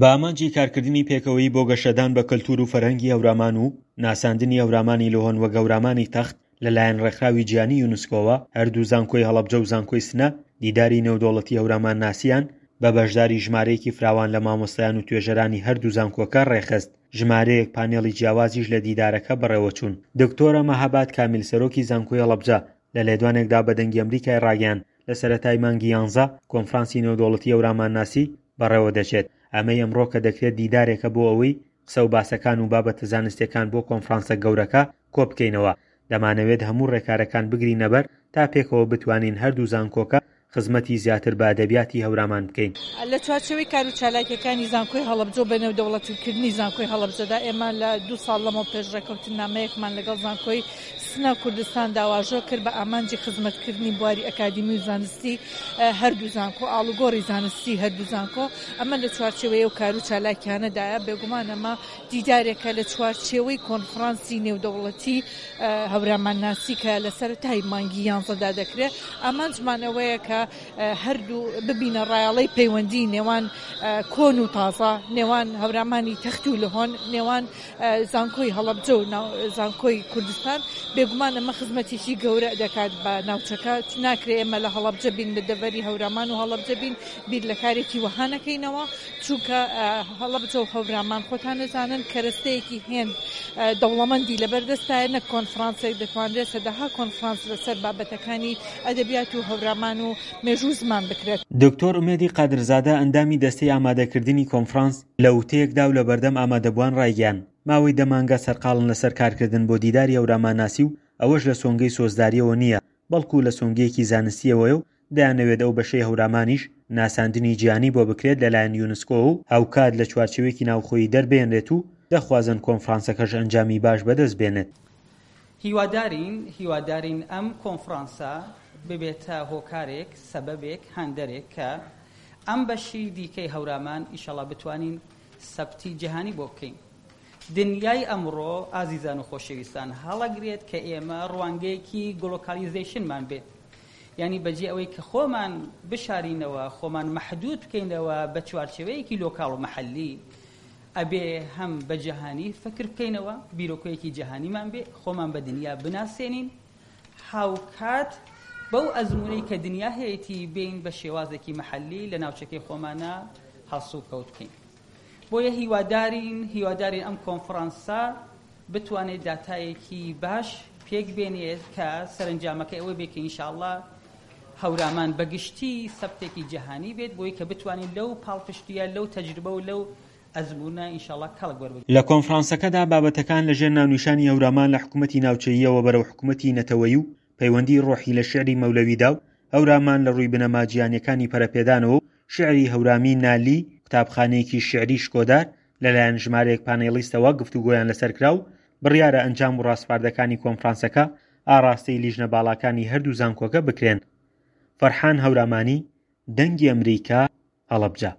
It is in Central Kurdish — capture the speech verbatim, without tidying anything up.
بە ئامانجی کارکردنی پێکەوەیی بۆ گەشەدان بە کەلتور و فەرهەنگی هەورامان و ناساندنی هەورامانی لهۆن وەک هەورامانی تەخت لەلایەن ڕێکخراوی جیهانی یونسکۆوە، هەردوو زانکۆی هەڵەبجە و زانکۆی سنە دیداری نێودەوڵەتی هەورامانناسیان بە بەشداری ژمارەیەکی فراوان لە مامۆستایان و توێژەرانی هەردوو زانکۆکە ڕێکخست. ژمارەیەک پانێڵی جیاوازیش لە دیدارەکە بەڕێوەچوون. دکتۆرە مەهاباد کامیل سەرۆکی زانکۆی هەڵەبجە لە لێدوانێکدا بە دەنگی ئەمریکای ڕاگەیاند، لە سەرەتای مانگی یانزە کۆنفرانسی نێودەوڵەتی هەورامانناسی بەڕێوە دەچێت. ئەمەی ئەمڕۆ کە دەکرێت دیدارێکە بۆ ئەوەی قسە و باسەکان و بابەتە زانستیەکان بۆ کۆنفرانسە گەورەکە کۆ بکەینەوە. دەمانەوێت هەموو ڕێکارەکان بگرینە بەر تا پێکەوە بتوانین هەردوو زانکۆکە خزمەتی زیاتر بە ئەدەبیاتی هەورامان بکەین. لە چوارچێوەی کار و چالاکیەکانی زانکۆی هەڵەبجە و بەنێودەوڵەتیکردنی زانکۆی هەڵەبجەدا، ئێمە لە دوو ساڵ لەمەو پێش ڕێککەوتنامەیەکمان لەگەڵ زانکۆی سنە کوردستاندا واژۆ کرد بە ئامانجی خزمەتکردنی بواری ئەکادیمی و زانستی هەردوو زانکۆ، ئاڵوگۆڕی زانستی هەردوو زانکۆ. ئەمە لە چوارچێوەی ئەو کار و چالاکیانەدایە. بێگومان ئەمە دیدارێکە لە چوارچێوەی کۆنفرانسی نێودەوڵەتی هەورامانناسی کە لە سەرەتای مانگی یانزەدا دەکرێت. ئامانجمان ئەوەیە کە هەردوو ببینە ڕایەڵەی پەیوەندی نێوان کۆن و تازە، نێوان هەورامانی تەخت و لهۆن، نێوان زانکۆی هەڵەبجە و زانکۆی کوردستان. بێگومان ئەمە خزمەتێکی گەورە دەکات بە ناوچەکە. ناکرێت ئێمە لە هەڵەبجە بین، لە دەڤەری هەورامان و هەڵەبجە بین، بیر لە کارێکی وەها نەکەینەوە، چونکە هەڵەبجە و هەورامان خۆتان نەزانن کەرەستەیەکی هێند دەوڵەمەندی لەبەردەستایە. نەک کۆنفرانسێک، دەتوانرێت سەدەها کۆنفرانس لەسەر بابەتەکانی ئەدەبیات و هەورامان و مێژوو زمان بکرێت. دکتۆر ئومێدی قادرزادە ئەندامی دەستەی ئامادەکردنی کۆنفرانس لە وتەیەکدا و لە بەردەم ئامادەبووان ڕایگەیاند، ماوەی دە مانگە سەرقاڵن لەسەر کارکردن بۆ دیداری هەورامانناسی و ئەوەش لە سۆنگەی سۆزداریەوە نییە، بەڵکو لە سۆنگەیەکی زانستیەوەیە و دەیانەوێت ئەو بەشەی هەورامانیش ناساندنی جیهانی بۆ بکرێت لەلایەن یونسکۆ و هاوکات لە چوارچێوەیەکی ناوخۆیی دەربێنرێت و دەخوازن کۆنفرانسەکەش ئەنجامی باش بەدەست بێنێت. هیوادارین هیوادارین ئەم کۆنفرانسە ببێتە هۆکارێک، سەبەبێک، هەندەرێک کە ئەم بەشی دیکەی هەورامان ئیشەڵا بتوانین سەبتی جیهانی بۆ بکەین. دنیای ئەمڕۆ ئازیزان و خۆشەویستان هەڵەگرێت کە ئێمە ڕوانگەیەکی گلۆکالیزیشنمان بێت، یعنی بەجێ ئەوەی کە خۆمان بشارینەوە، خۆمان مەحدود بکەینەوە بە چوارچێوەیەکی لۆکاڵ و محەلی، ئەبێ هەم بە جیهانی فکر بکەینەوە، بیرۆکەیەکی جیهانیمان بێ، خۆمان بە دنیا بناسێنین، هاوکات بەو ئەزمونەی کە دنیا هەیەتی بین بە شێوازێکی محەلی لە ناوچەکەی خۆمانە هەڵسوکەوت بکەین. بۆیە هیوادارین هیوادارین ئەم کۆنفرانسە بتوانێت داتایەکی باش پێک بێنێت کە سەرنجامەکەی ئەوە بێت کە ئینشاءڵڵا هەورامان بەگشتی سەبتێکی جیهانی بێت، بۆی کە بتوانین لەو پاڵپشتیە، لەو تەجروبە و لەو ئەزمونە ئینشاءڵڵا کەڵک وەربگرین. لە کۆنفرانسەکەدا بابەتەکان لەژێر ناونیشانی هەورامان لە حکوومەتی ناوچەییەوە بەرەو حکوومەتی نەتەوەیی و پەیوەندی ڕۆحی لە شعری مەولەویدا و هەورامان لە ڕووی بنەما جیهانیەکانی پەرەپێدانەوە و شعری هەورامی نالی قوتابخانەیەکی شعری شکۆدار لەلایەن ژمارەیەک پانێڵیستەوە گفتوگۆیان لەسەر کرا و بڕیارە ئەنجام و ڕاسپاردەکانی کۆنفرانسەکە ئاراستەی لیژنە باڵاکانی هەردوو زانکۆکە بکرێن. فەرحان هەورامانی، دەنگی ئەمریکا، هەڵەبجە.